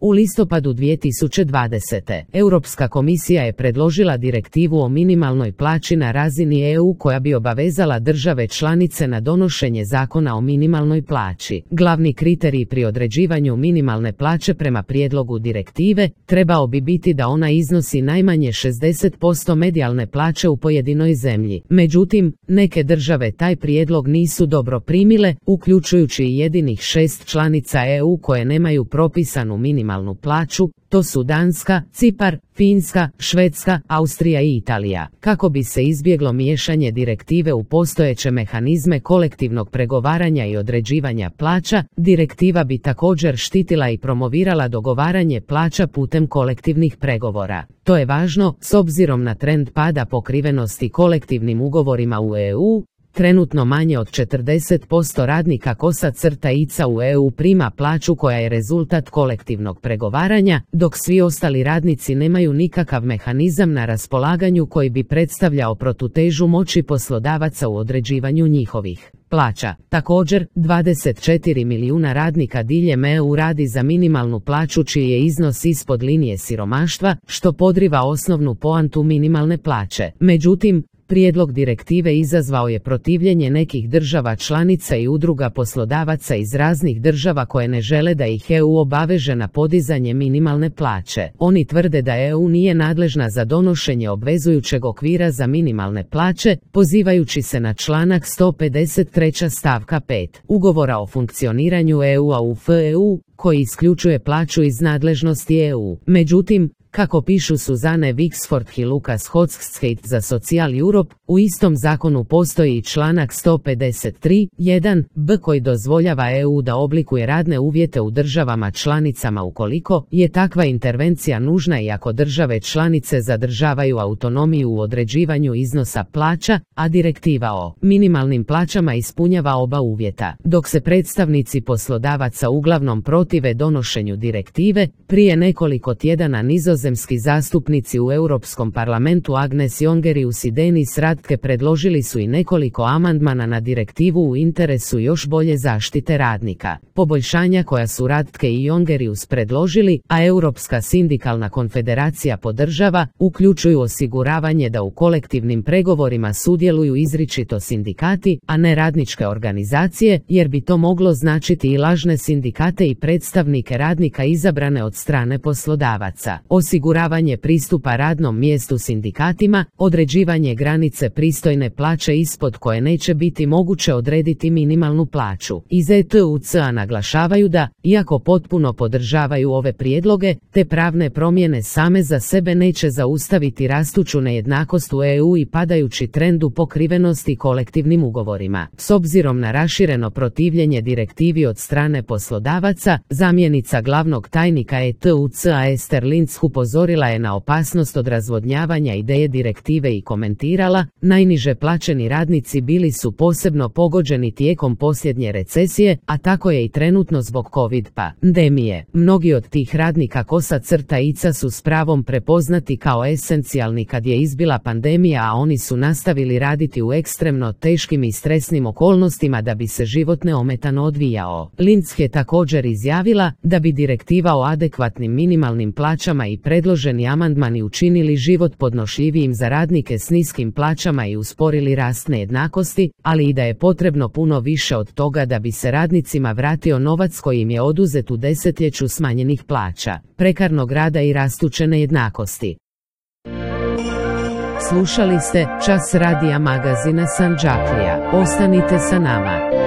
U listopadu 2020. Europska komisija je predložila direktivu o minimalnoj plaći na razini EU koja bi obavezala države članice na donošenje zakona o minimalnoj plaći. Glavni kriterij pri određivanju minimalne plaće prema prijedlogu direktive trebao bi biti da ona iznosi najmanje 60% medijalne plaće u pojedinoj zemlji. Međutim, neke države taj prijedlog nisu dobro primile, uključujući i jedinih 6 članica EU koje nemaju propisanu minimalnu plaću, to su Danska, Cipar, Finska, Švedska, Austrija i Italija. Kako bi se izbjeglo miješanje direktive u postojeće mehanizme kolektivnog pregovaranja i određivanja plaća, direktiva bi također štitila i promovirala dogovaranje plaća putem kolektivnih pregovora. To je važno s obzirom na trend pada pokrivenosti kolektivnim ugovorima u EU. Trenutno manje od 40% radnika kosa-ica u EU prima plaću koja je rezultat kolektivnog pregovaranja, dok svi ostali radnici nemaju nikakav mehanizam na raspolaganju koji bi predstavljao protutežu moći poslodavaca u određivanju njihovih plaća. Također, 24 milijuna radnika diljem EU radi za minimalnu plaću čiji je iznos ispod linije siromaštva, što podriva osnovnu poantu minimalne plaće. Međutim, prijedlog direktive izazvao je protivljenje nekih država članica i udruga poslodavaca iz raznih država koje ne žele da ih EU obaveže na podizanje minimalne plaće. Oni tvrde da EU nije nadležna za donošenje obvezujućeg okvira za minimalne plaće, pozivajući se na članak 153. stavka 5. Ugovora o funkcioniranju EU-a UFEU, koji isključuje plaću iz nadležnosti EU. Međutim, kako pišu Suzanne Wixford i Lukas Hochschild za Social Europe, u istom zakonu postoji i članak 153.1b koji dozvoljava EU da oblikuje radne uvjete u državama članicama ukoliko je takva intervencija nužna i ako države članice zadržavaju autonomiju u određivanju iznosa plaća, a direktiva o minimalnim plaćama ispunjava oba uvjeta. Dok se predstavnici poslodavaca uglavnom protive donošenju direktive, prije nekoliko tjedana nizozemski zastupnici u Europskom parlamentu Agnes Jongerius i Denis Radke predložili su i nekoliko amandmana na direktivu u interesu još bolje zaštite radnika. Poboljšanja koja su Radke i Jongerius predložili, a Europska sindikalna konfederacija podržava, uključuju osiguravanje da u kolektivnim pregovorima sudjeluju izričito sindikati, a ne radničke organizacije, jer bi to moglo značiti i lažne sindikate i predstavnike radnika izabrane od strane poslodavaca. Osiguravanje pristupa radnom mjestu sindikatima, određivanje granice pristojne plaće ispod koje neće biti moguće odrediti minimalnu plaću. Iz ETUC-a naglašavaju da, iako potpuno podržavaju ove prijedloge, te pravne promjene same za sebe neće zaustaviti rastuću nejednakost u EU i padajući trend u pokrivenosti kolektivnim ugovorima. S obzirom na rašireno protivljenje direktivi od strane poslodavaca, zamjenica glavnog tajnika ETUC-a Ester Linz upozorila je na opasnost od razvodnjavanja ideje direktive i komentirala, najniže plaćeni radnici bili su posebno pogođeni tijekom posljednje recesije, a tako je i trenutno zbog COVID pandemije. Mnogi od tih radnika kosa-ica su s pravom prepoznati kao esencijalni kad je izbila pandemija, a oni su nastavili raditi u ekstremno teškim i stresnim okolnostima da bi se život neometano odvijao. Linz je također izjavila da bi direktiva o adekvatnim minimalnim plaćama i predloženi amandmani učinili život podnošljivijim za radnike s niskim plaćama i usporili rast nejednakosti, ali i da je potrebno puno više od toga da bi se radnicima vratio novac koji im je oduzet u desetljeću smanjenih plaća, prekarnog rada i rastuće nejednakosti. Slušali ste Čas radija magazina Sandžaklija. Ostanite sa nama.